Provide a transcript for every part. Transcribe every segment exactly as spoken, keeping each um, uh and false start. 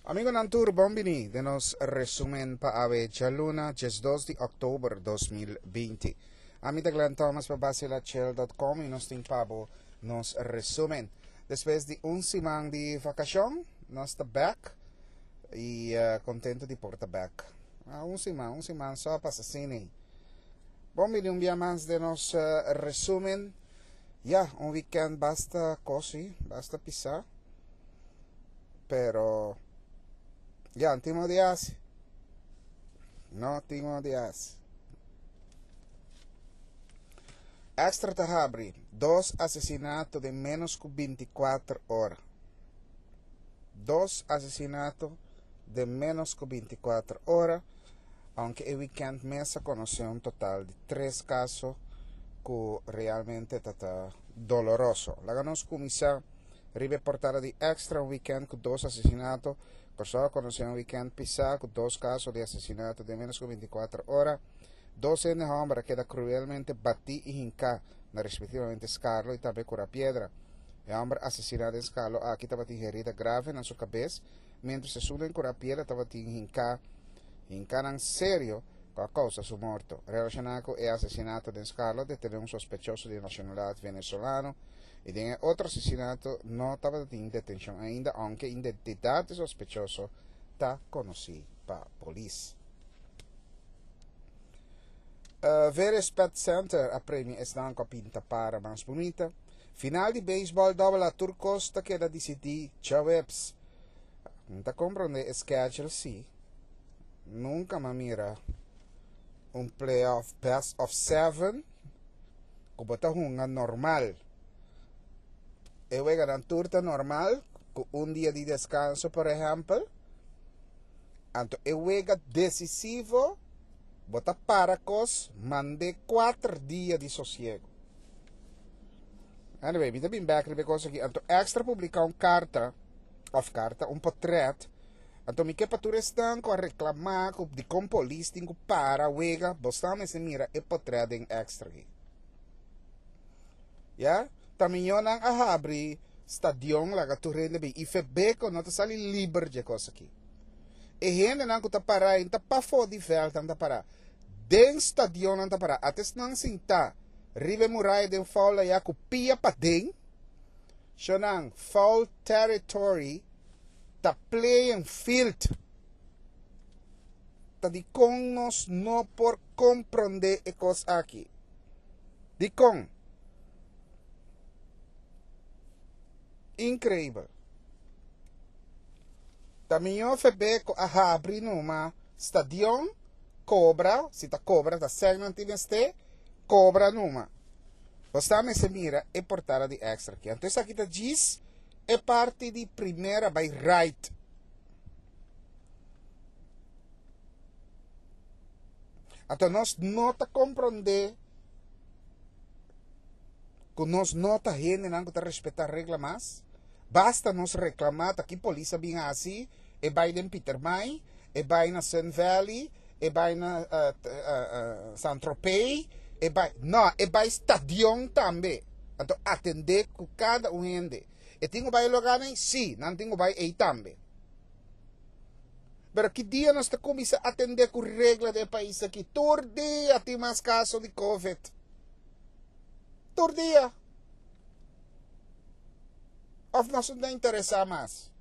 Amigonan tur bon bini den nos resumen pa awe djaluna diesdos di oktober dos mil binti. Ami ta Glenn Thomas pa Basilachel dot com y nos tin pa bo nos resumen. Despues di un siman di vakashon nos ta bek y contento di por ta bek. Ah, un siman, un siman so a pasa asina. Bon bini un bia mas den nos resumen. Ya, un weekend basta cosi, basta pisa. Pero ya, no tin modo di hasi. No tin modo di hasi. Extra ta habri dos asesinato den menos ku binti kuater ora. Dos asesinato den menos ku binti kuater ora, aunke e weekend mes a konosé un total di tres kaso ku realmente ta ta doloroso. Laga nos kuminsá riba e portada di Extra, un weekend ku dos asesinato. Kòrsou a konosé un weekend pisá ku dos kaso di asesinato den menos ku binti kuater ora. Dos hende hòmber a keda kruelmente batí i hinká na respektivamente Skarlo i tambe Kura Piedra. E hòmber asesiná den Skarlo aki tabatin herida grave na su kabes, miéntras esun den Kura Piedra tabatin hinká hinkánan serio ku a kousa su morto. Relashoná ku e asesinato den Skarlo a detené un sospechoso di nashonalidat venezolano i den e otro asesinato no tabatin detenshon ainda, ounke identidat di sospechoso ta konosí pa polis. Veres Pet Center a premia esnan ku a pinta para mas bunita. Final di beisbòl Dòbel A tur kos ta keda disidí djaweps. N ta komprondé e schedule sí. Nunka m'a mira un playoff best of seven ku bo ta hunga normal. E weganan tur ta normal ku un dia di deskanso por ehèmpel. Anto e wega desisivo bo ta para kos mand'é kuater dia di sosiego. Anyway, mi ta bin bek riba e kos aki. Anto Extra publiká un karta, òf karta, un potrèt. Anto mi ke pa tur esnan ku a reklamá ku dikon polis tin ku para wega, bo sa mester mira e potrèt den Extra aki. Ya, ta miñonan a habri stadion laga tur hende bin i Febeko no ta sali liber dje kos aki. E hendenan ku ta pará ei ta pafó di vèlt nan ta pará. Den stadion nan ta pará. Ata esnan sintá riba e muraya den foul ayá ku pia paden. Shonnan, foul territory ta playing field. Ta dikon nos no por komprondé e kos aki? Dikon? Inkreibel. Ta mihó Febeko a habri numa stadion, kobra, si ta kobra ta sèn nan tin mester, kobra numa. Bo sa mester mira e portada di Extra aki. Anto esaki ta djis e parti di primera bai right. Anto nos no ta komprondé ku nos no ta hendenan ku ta respetá regla mas. Basta nos reklamá ta ki polis a bin hasi, e bai den Pietermaai, e bai na Sun Valley, e bai na San Tropez, e bai, no, e bai stadion tambe. Anto atendé ku kada un hende. E tin ku bai e lugarnan? Sí, nan tin ku bai ei tambe. Pero ki dia nos ta kuminsá atendé ku regla den e pais aki? Tur dia tin mas kaso di covid. Tur dia. Of nos no ta interesá mas?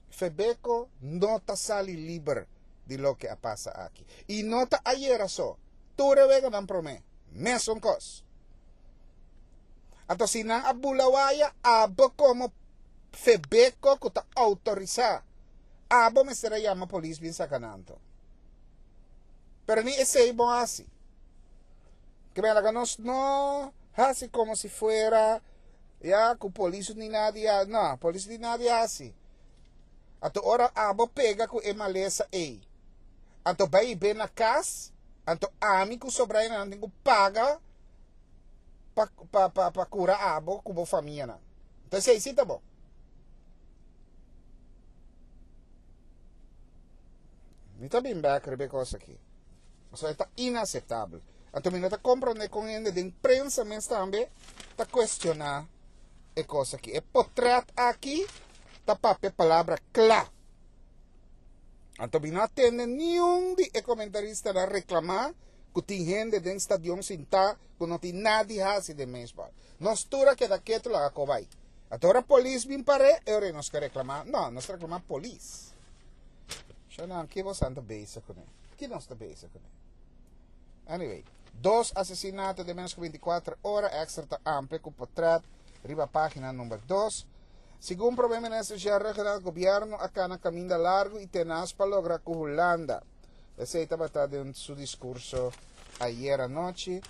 Febeko no ta sali liber di loke a pasa aki. I no ta ayera so. Tur e weganan promé, mesun kos. Anto si nan a bula waya, abo komo Febeko ku ta outorisá, abo mester a yama polis bin saka nan anto. Pero ni esei bon hasi. Ke men laga nos no hasi komo si fuera ya ku polis ni nadie a, no, polis ni nadie hasi. Anto ora abo pega ku e malesa ei, anto bai i ben na kas, anto ami ku sobrainanan tin ku paga pa, pa, pa, pa kura abo ku bo famianan. Anto esei si ta bon. Mi ta bin bek riba e kos aki. Pasobra e ta inaseptabel. Anto mi no ta komprondé kon hende den prensa mes tambe ta kuestioná E kos aki. E portrèt aki ta papia palabra kla. Anto mi no a tende niun di e komentaristanan reklamá ku tin hende den stadion sintá ku no tin nada di hasi den beisbòl. Nos tur a keda ketu laga ku bai. Anto ora polis bin par'é, e ora nos ke reklamá. No, nos ta reklamá polis. Shonnan, ki boso ta bezig kuné? Ki nos ta bezig kuné? Anyway, dos asesinato den ménos ku bintikuater ora, Extra ta amplia ku portrèt riba página number dos. Segun Prome Minister Jean Ruggenaath, Gobierno a cana caminda largo y tenaz pa logra cu Hulanda. Esey tabata den su discurso ayer anochi.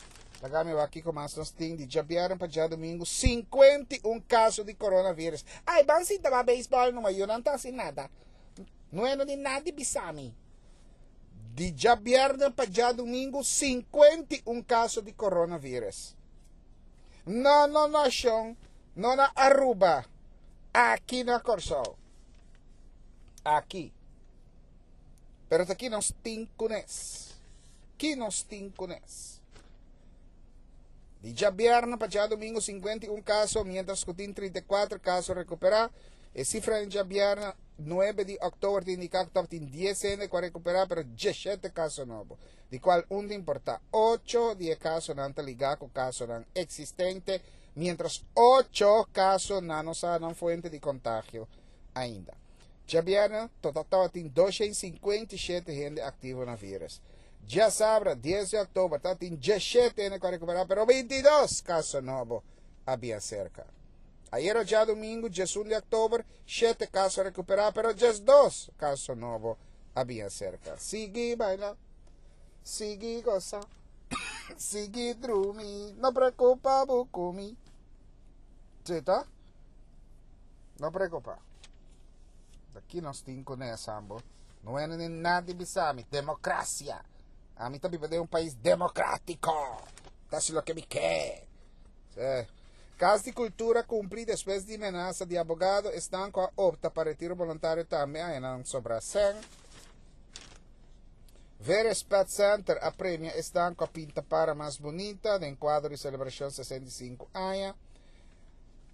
Laga mi wak kico mas nos tin di djabièrnè pa djadomingo, sinkuenta i un caso di coronavirus. Ay, ban sinta ba baseball numa, yo nan ta haci nada. No e no di nada di bisa mi. Di djabièrnè pa djadomingo, sinkuenta i un caso di coronavirus. No, no, no, shon. No na Aruba. Aki na Kòrsou. Aki. Pero ta ki nos tin kunes. Ki nos tin kunes. Di djabièrnè pa djadumingu sinkuenta i un kaso, miéntras ku tin trinta i kuater kaso rekuperá. E sifra den djabièrnè nuebe di òktober ta indiká ku tabatin dies hende ku a rekuperá, pero diesshete kaso nobo, di kual un ta importá. Ocho di e kasonan ta ligá ku kasonan eksistente, miéntras ocho kaso nan no sa nan fuente di kontagio ainda. Djabièrnè total tabatin dosha i sinkuenta i shete hende aktivo na vírùs. Djasabra dies di òktober tabatin diesshete hende ku a rekuperá, pero bintidos kaso nobo a bia serka. Ayera djadumingu diesun di òktober shete kaso a rekuperá, pero diesdos kaso nobo a bia serka. Sigui baila, sigui gosa, sigui drumi, no preocupa bo ku mi. Sí, ta? No preocupa. Aki nos tin ku nes, ambo. No ene ni nada di bisa mi. Demokrasia. Ami ta biba den un pais demokratiko. Ta hasi loke mi ke. Sí. Kas di Kultura kumpli despues di menasa di abogado, esnan ku a opta pa retiro boluntario tambe a haña nan sobra sèn. Veres Pet Center a premia esnan ku a pinta para mas bunita den kuadro di selebrashon sesenta i sinku aña.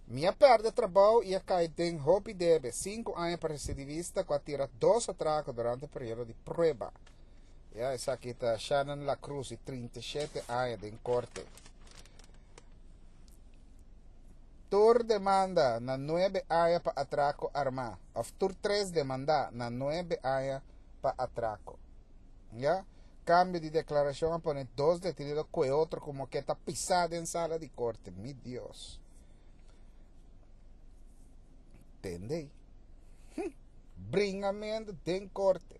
Mi a pèrdè trabou i a kai den hopi debe, sinku aña pa residivista ku a tira dos atrako durante periodo di prueba. Ya, esaki ta Shannon La Cruz di trinta i shete aña den korte. Tur demanda na nuebe aña pa atrako armá, òf tur tres demandá na nuebe aña pa atrako. Ya, kambio di deklarashon a pone dos detenido ku e otro komo ke ta pisá den sala di korte. Mi Dios. Tende. Hm. Bringamentu den korte.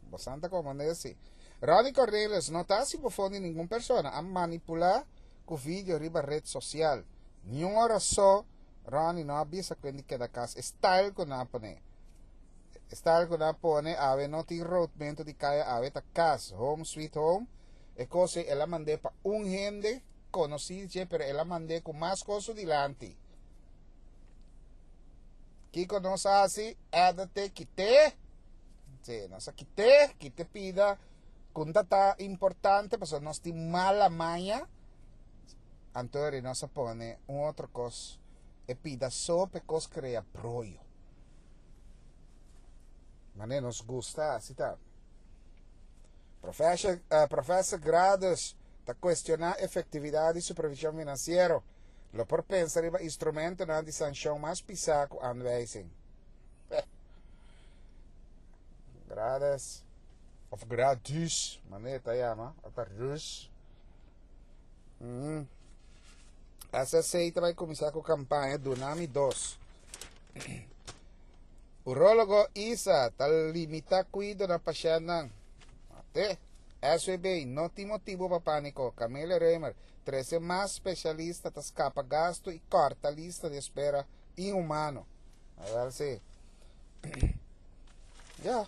Bosan ta komand'é si. Ronnie Cornelius no ta hasi bofon di ningun persona, a manipulá ku video riba red sosial. Niun ora so Ronnie no a bisa ku di keda kas. E style ku nan a pone. E style ku nan a pone awe no tin roodmento di kaya awe ta kas. Home sweet home. E kos ei el a mand'é pa un hende konosí dje pero el a mand'é ku mas kos su dilanti. Kiko nos a hasi? Edit'é, kit'é. Sí, nos a kit'é, kit'é pida ku ta ta importante pasobra nos tin mala maña. Anto eri nos a pone un otro kos, e pida so pa e kos krea broyo. Manera nos gusta hasi ta. Professor, uh, Professor Gradus ta cuestiona efectividad di supervision financiero. Lo por pensa riba instrumentonan di sancion mas pisa cu aanwijzing. Gradus, of Gradus, manera ta yama, ata Rus. Mm. S S C ta bai kuminsá ku kampaña Dunami dos. Urólogo Isa ta limitá kuido na pashèntnan. Ate. S W B no tin motibu pa pániko. Camelia Römer, trese mas spesialista ta skapa gastu i kòrta lista di espera inhumano. Awèl si. Ya.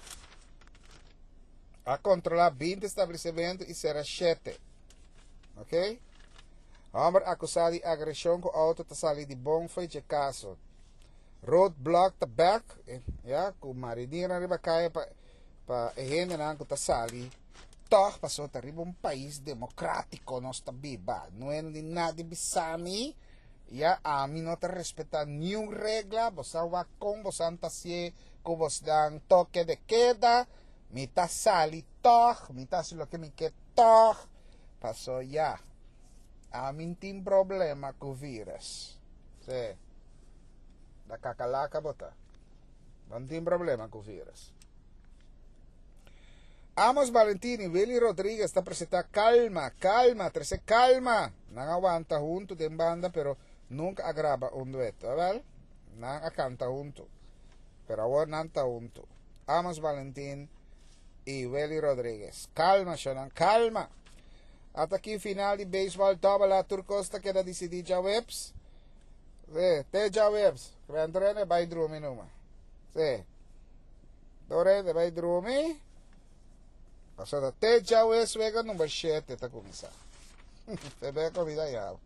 A kontrolá binti establesimentu i sera shete. Ok? Homber akusá di agreshon ku outo ta sali di bon fo'i dje kaso. Roadblock ta bek, ya, ku marinirnan riba kaya pa pa e hendenan ku ta sali tòg pasobra ta riba un pais demokratiko nos ta biba. No e di nada di bisa mi Ya ami no ta respetá niun regla, bo sa wak kon bo ta hasié ku bo dan toke de queda, mi ta sali tòg, mi ta hasi loke mi ke tòg. Pasó ya. Ami n'tin problema ku virus. Sí. Da kakalaka bo ta. No tin problema ku virus. Amos Valentini, Willy Rodriguez ta presentá Kalma, Kalma, trese kalma. Nan a wanta huntu den banda, pero nunka a graba un dueto, wèl? Nan a kanta huntu. Pero awor nan ta huntu. Amos Valentin i Willy Rodriguez. Kalma, shonan, kalma. Ata aki final di beisbòl dòbel A, tur kos ta keda disidí djaweps. Sí, te djaweps. Kuentrene bai drumi numa. Sí. Dorene bai drumi. Pasó te djaweps wega number shete ta kuminsá. Febeko mi ta yabo.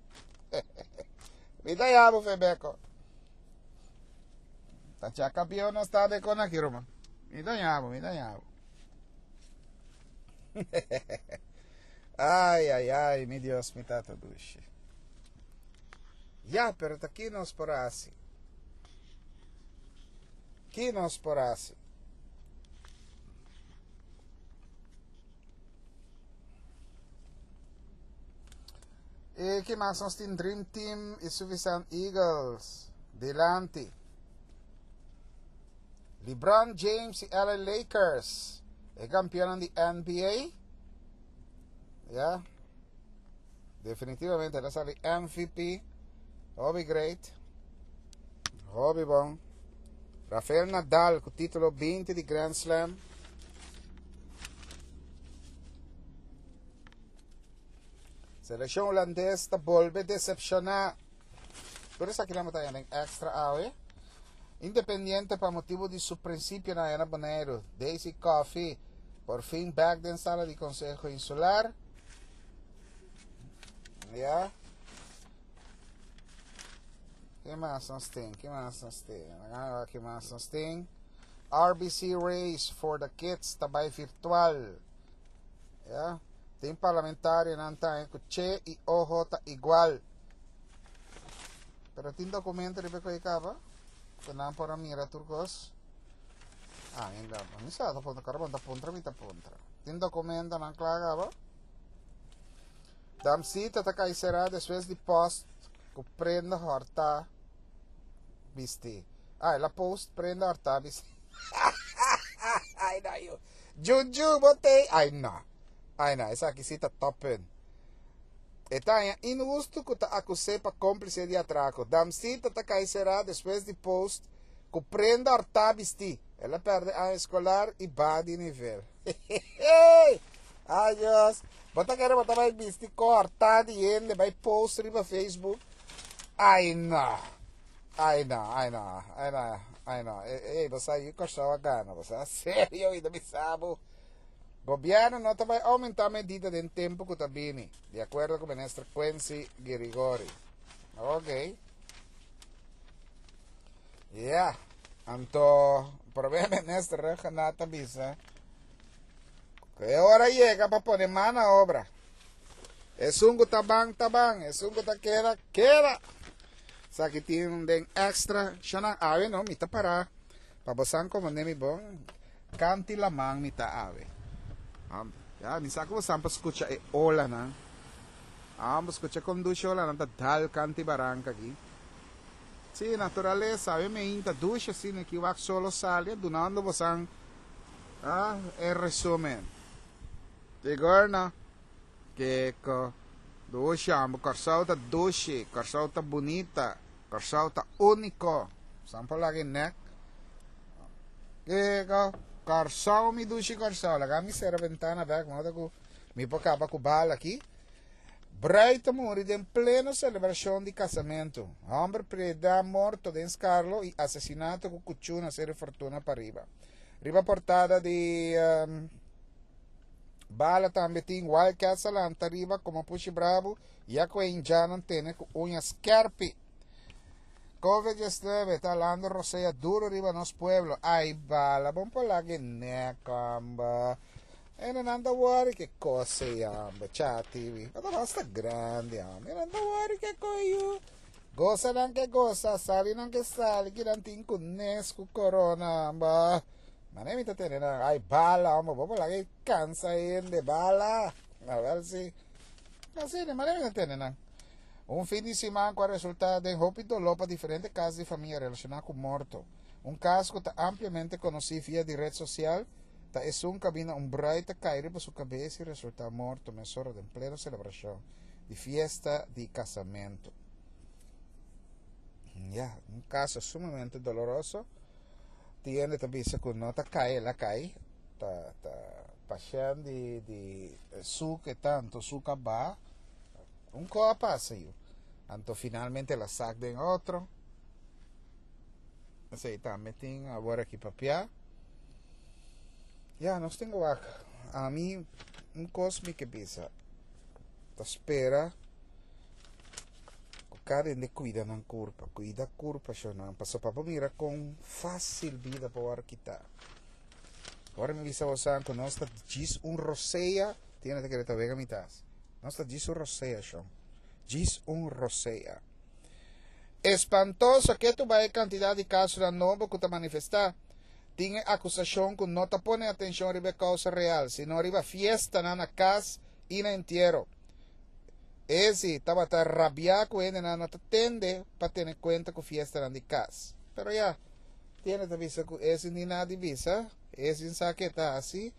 Mi ta yabo Febeko. Ta chaka no está de con aquí, Roma. Mi ta yabo, mi ta yabo. Ai, ai, ai, mi Dios, mi tata dushi. Ya, pero ta ki nos por hasi. Ki nos por hasi. I ki mas nos tin? Dream Team i Suffisant Eagles dilanti. LeBron James i L A Lakers, e kampeonnan di N B A. Ya. Definitivamente, el a sali M V P. Hopi great. Hopi bon. Rafael Nadal ku título binti di Grand Slam. Selekshon hulandes ta bolbe desepshoná. Pero esaki nan ta den Extra awe. Independiente pa motibu di su prinsipionan na Boneiru. Daisy Coffee por fin bèk den sala di Konseho Insular. Ya. Ki mas nos tin? Ki mas nos tin? Ki mas nos tin? R B C Race for the Kids tambe virtual. Ya. Tin parlamentarionan ta ku Che i O J ta igual. Pero tin dokumento riba ku kaba. Ku nan por mira tur kos. Ah, ainda. Mi sa ta puntra, kara ta puntra, mi ta puntra. Tin dokumentonan kla kaba. Damsita ta kai será despues di post ku prenda hòrtá bistí. Ah, el a post prenda hòrtá bistí. Ai, no, yo. Juju, bo t'ei. Ai, no. Ai, no, esaki sí ta top. E ta inhustu ku ta akus'é pa kómplise di atrako. Damsita ta kai será despues di post ku prenda hòrtá bistí. El a pèrdè aña eskolar i baha di nivel. Ai, Dios. Bo ta kere bo ta bai bisti kos hòrtá di hende, bai post riba Facebook. Ai, no. Ai, no, ai, no, ai, no, ai, no. Ei, bo sa ku Kòrsou a gana, bo sa serio, ainda mi sabe. Gobièrnu no ta bai oumentá medida den tempu ku ta bini, di akuerdo ku minister Quincy Girigorie. Ok. Yeah. Anto, promé minister Rhuggenaath a bisa ku ora yega pa pone man na obra. Esun ku ta ban, ta ban. Esun ku ta keda, keda. Esaki tin den Extra. Shana awe no, mi ta para. Pa bo komprondé mi bon. Kant'i laman mi ta awe. Ya, mi sa ku bo pa skucha e olanan. Ah, skucha kon dushi olanan ta dal kant'i baranka aki. Sí, naturalesa, awe mi ta dushi asina ku wak solo sali, dunando bo ah, e resúmen. Igor, Kiko, dushi, amo, Kòrsou ta dushi, Kòrsou ta bunita, Kòrsou ta úniko. Sampo lagi nek. Kiko, Kòrsou mi dushi Kòrsou. Laga mi sera bentana bèk, moda ku mi por kaba ku bala aki. Brùit a muri den pleno selebrashon di kasamentu. Hòmber piedrá morto den Skarlo i asesinato ku kuchú na Seru Fortuna pariba. Riba portada di um, Bala tambe tin Wildcats a lanta riba komo pushi brabu ya ku indjannan tene ku uña skèrpi. COVID diesnuebe ta halando rosea duru riba nos pueblo. Ai, Bala, bon por lag'é kamba. E no ta worry ku kos amba, chati. Ma basta grandi, amba. No ta worry ku kos. Gosa nan ke gosa, sali nan ke sali, ki nan tin ku nes ku corona, ba. Mane mi ta tene nan, ai bala, hombre, bo la ke cansa hende, bala. A ver si. Asina, mane mi ta tene nan. Un fin di siman ku a resultá den hopi doló pa diferente kas di famia relashoná ku morto. Un kas ku ta ampliamente konosí via di ret sosial ta esun kaminda un brùit ta kai riba su kabes i resultá morto mesora den pleno selebrashon di fiesta di kasamentu. Ya, un kaso sumamente doloroso. Tin hende ta bisa ku no ta kai el a kai, ta ta pashènt di di suke tantu suka ba. Un ko a pasa yu. Anto finalmente el a sak den otro. Esei tambe tin awor aki papia. Ya, nos tin wak. Ami un kos mi ke bisa. Ta spera ku kada hende kuida nan kurpa. Kuida kurpa shonnan. Pasobra pa bo mira kon fásil bida por wòrdu kitá. Ora mi bisa bosan ku nos ta djis un rosea, tin hende ta kere ta wega mi tas. Nos ta djis un rosea, shon. Djis un rosea. Espantoso ke tu bai e kantidat di kasonan nobo ku ta manifestá. Tin e akusashon ku no ta pone atenshon riba e kousa real, sino riba fiestanan na kas i na entiero. Ezi tabata rabiá ku hendenan no ta tende pa tene kuenta ku fiestanan di kas. Pero ya, tin hende ta bisa ku ezi ni nada di bisa, ezi sa ke ta hasi,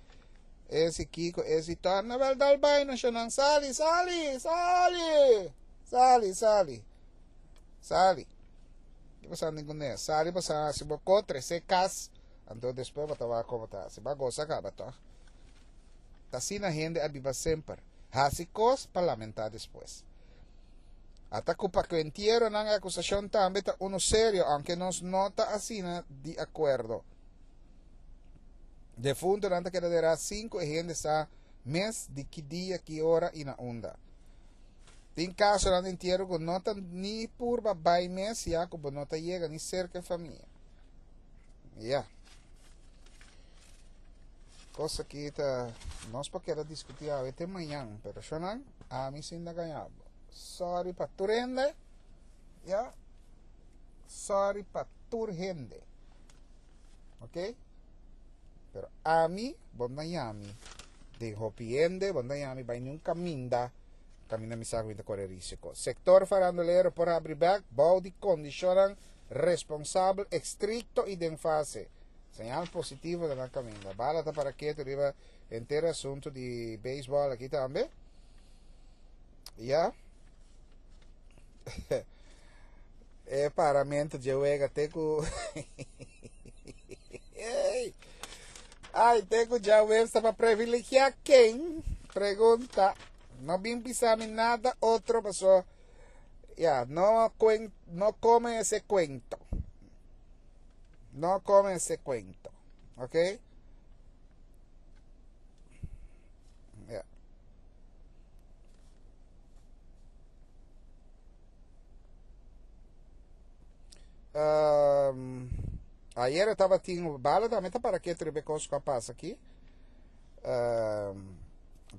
ezi kiko, ezi torna, wel dal bai no shonnan, sali, sali, sali, sali, sali, sali. Ki bo sa ningun ne, sali bo sa hasi bo ko, trese kas, anto despues bo ta wak komo ta hasi. Bo a gosa kaba tòg? Ta asina hende a biba semper, hasi kos pa lamentá despues. Ata ku pa ku entieronan e akusashon tambe ta unu serio, aunke nos no ta asina di akuerdo. Defuntonan ta keda derá sin ku e hende sa mes di ki dia, ki ora i na unda. Tin kasonan di entiero ku no ta ni purba bai mes ya ku bo no ta yega ni serka e famia. Ya. Kos aki ta nos por keda diskutí awe te mañan, pero shonnan, ami sin ta gaña bo. Sorry pa tur hende, ya. Sorry pa tur hende. Ok? Pero ami, bo no yami den hopi hende, bo no yami bai niun kaminda, kaminda mi sa ku mi ta kore risiko. Sektor farandulero por habri bek bou di kondishonnan responsabel, estrikto i den fase. Señal positivo ta na kaminda. Bala ta para ketu riba henter asuntu di beisbòl aki tambe. Ya. E paramentu dje wega te ku Ai, te ku djaweps ta pa privilegiá ken? Pregunta. No bin bisa mi nada otro paso ya, no cuen, no come ese cuento. No come ese cuento. Ok? Ya. Um, ayer estaba tin bala también está para que tribe cos que pasa aquí. Um,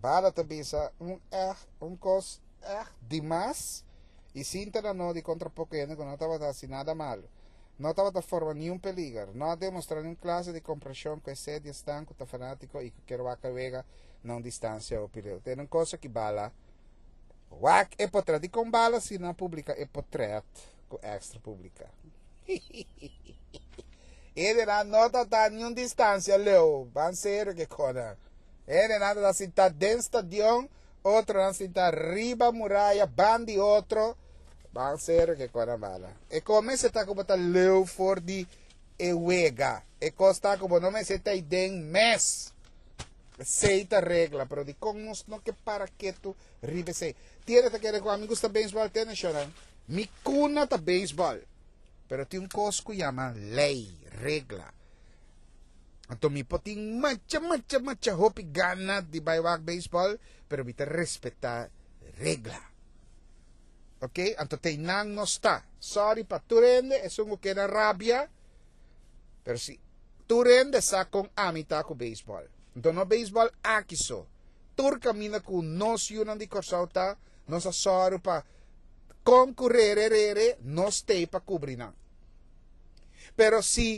bala te bisa un echt un cos echt dimas y sinta na no di contra poco hende que no estaba haci nada malo. No tabata forma niun peliger. No a demostra niun clase di comprension cu e sed di esnan cu ta fanatico y cu kier wak e wega na un distancia hopi leu. Tene un cosa ki bala wak e potret. Dicon bala si no a publica e potret cu Extra publica? Hendenan no ta ta niun distancia leu. Ban serio ke konan. Hendenan ta ta sinta den stadion, otronan sinta riba muraya ban di otro. Ban serio ke kona bala. E ko mester ta ku bo ta leu for di e wega. E kos ta ku bo no mester ta den mes. Esei ta regla, pero dikon nos no ke para ketu riba esei? Tiene ta kere ku ami gusta beisbòl te nashonal. Mi kuna ta beisbòl. Pero tin un kos ku yama lei, regla. Anto mi por tin macha, macha, macha hopi gana di bai wak beisbòl, pero mi ta respetá regla. Ok, anto te nan no sta. Sorry pa tur hende, esun ku keda rabia, pero si tur hende sa kon ami ta ku beisbòl. Anto no beisbòl aki so. Tur kaminda ku nos yunan di Kòrsou ta, nos a sòru pa Konkurere rere nos t'ei pa kubri nan. Pero si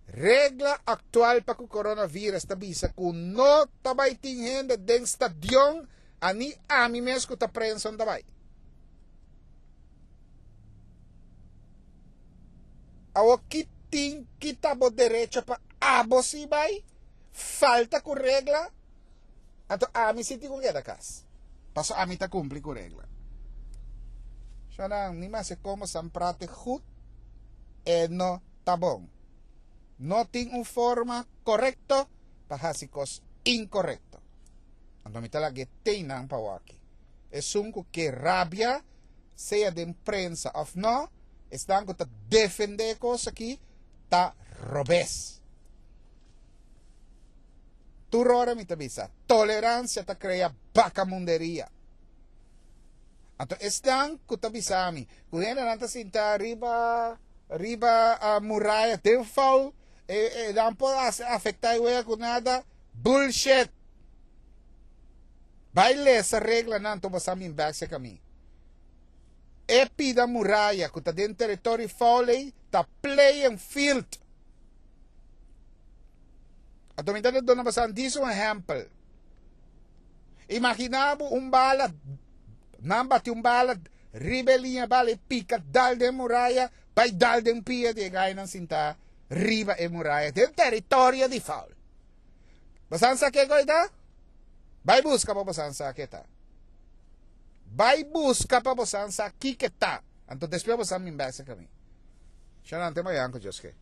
regla aktual pa ku coronavirus ta bisa ku no ta bai tin hende den stadion, ani ami mes ku ta prensa no ta bai. Awor ki tin ki ta bo derecho pa abo si bai? Falta ku regla? Anto ami si tin ku keda kas. Paso ami ta kumpli ku regla. Shonnan, ni maske komo san prate goed e no ta bon. No tin un forma korekto pa hasi kos inkorekto. Anto mi ta laga e teinan pa waki. Esun ku ke rabia, sea den prensa òf no, esnan ku ta defendé e kos aki ta robes. Tur ora mi ta bisa, toleransia ta krea bakamunderia. Anto esnan ku ta bisa mi ku hendenan ta sinta riba riba muraya den foul, e nan por afektá e wega ku nada, bullshit! Bai lesa reglanan anto bo sa min bek serka mi. E pida muraya ku ta den teritorio foul ei ta playing field. Anto mi ta duna boso dis un ehèmpel. Imaginá bo un bala, nan bati un bala riba e liña bala e pika dal den muraya, bai dal den pia di e gainan sintá riba e muraya den teritorio di foul. Boso sa kiko ei ta? Bai buska pa boso sa ke ta. Bai buska pa boso sa kiko ta. Anto despues boso min bèk serka mi. Shalom, te mañan ku Dios ke.